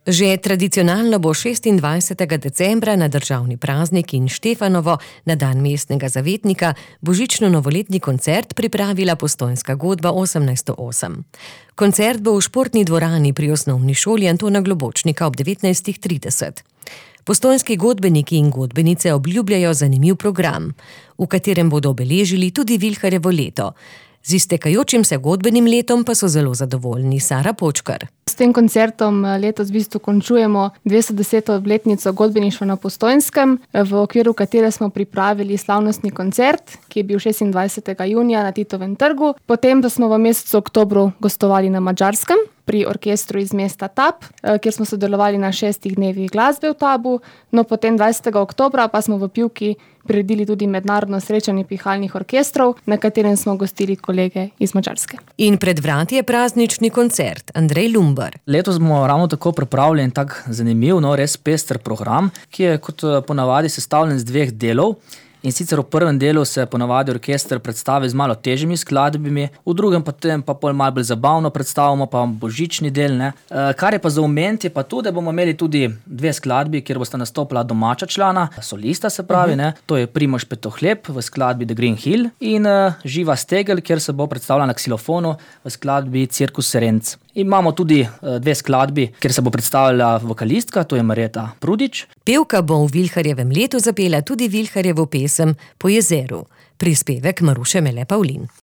Že tradicionalno bo 26. decembra na državni praznik in Štefanovo na dan mestnega zavetnika božično-novoletni koncert pripravila Postojnska godba 1808. Koncert bo v športni dvorani pri osnovni šoli Antona Globočnika ob 19:30. Postojnski godbeniki in godbenice obljubljajo zanimiv program, v katerem bodo obeležili tudi Vilharjevo leto. Z iztekajočim se godbenim letom pa so zelo zadovoljni. Sara Počkar. S tem koncertom letos v bistvu končujemo 210. obletnico godbeništva na Postojnskem, v okviru katere smo pripravili slavnostni koncert, ki je bil 26. junija na Titovem trgu. Potem pa smo v mesecu oktobru gostovali na Madžarskem pri orkestru iz mesta Tab, kjer smo sodelovali na 6 dnevih glasbe v Tabu. No, potem 20. oktobra pa smo v Pivki priredili tudi mednarodno srečanje pihalnih orkestrov, na katerem smo gostili kolege iz Madžarske. In pred vrati je praznični koncert. Andrej Lumbar. Letos bomo ravno tako pripravljeni tak zanimiv, res pester program, ki je kot ponavadi sestavljen z 2 delov. In sicer v prvem delu se ponavadi orkester predstavi z malo težjimi skladbami, v drugem pa pol malo bolj zabavno predstavimo, pa božični del, ne. Kar je pa za omeniti, je pa to, da bomo imeli tudi 2 skladbi, kjer bosta nastopila domača člana, solista se pravi, ne. To je Primož Petohlep v skladbi The Green Hill in Živa Stegel, kjer se bo predstavila na ksilofonu v skladbi Cirkus Serenc. Imamo tudi 2 skladbi, kjer se bo predstavila vokalistka, to je Marjeta Prudič. Pevka bo v Vilharjevem letu zapela tudi Vilharjevo pesem Po jezeru. Prispevek Maruše Mele Pavlin.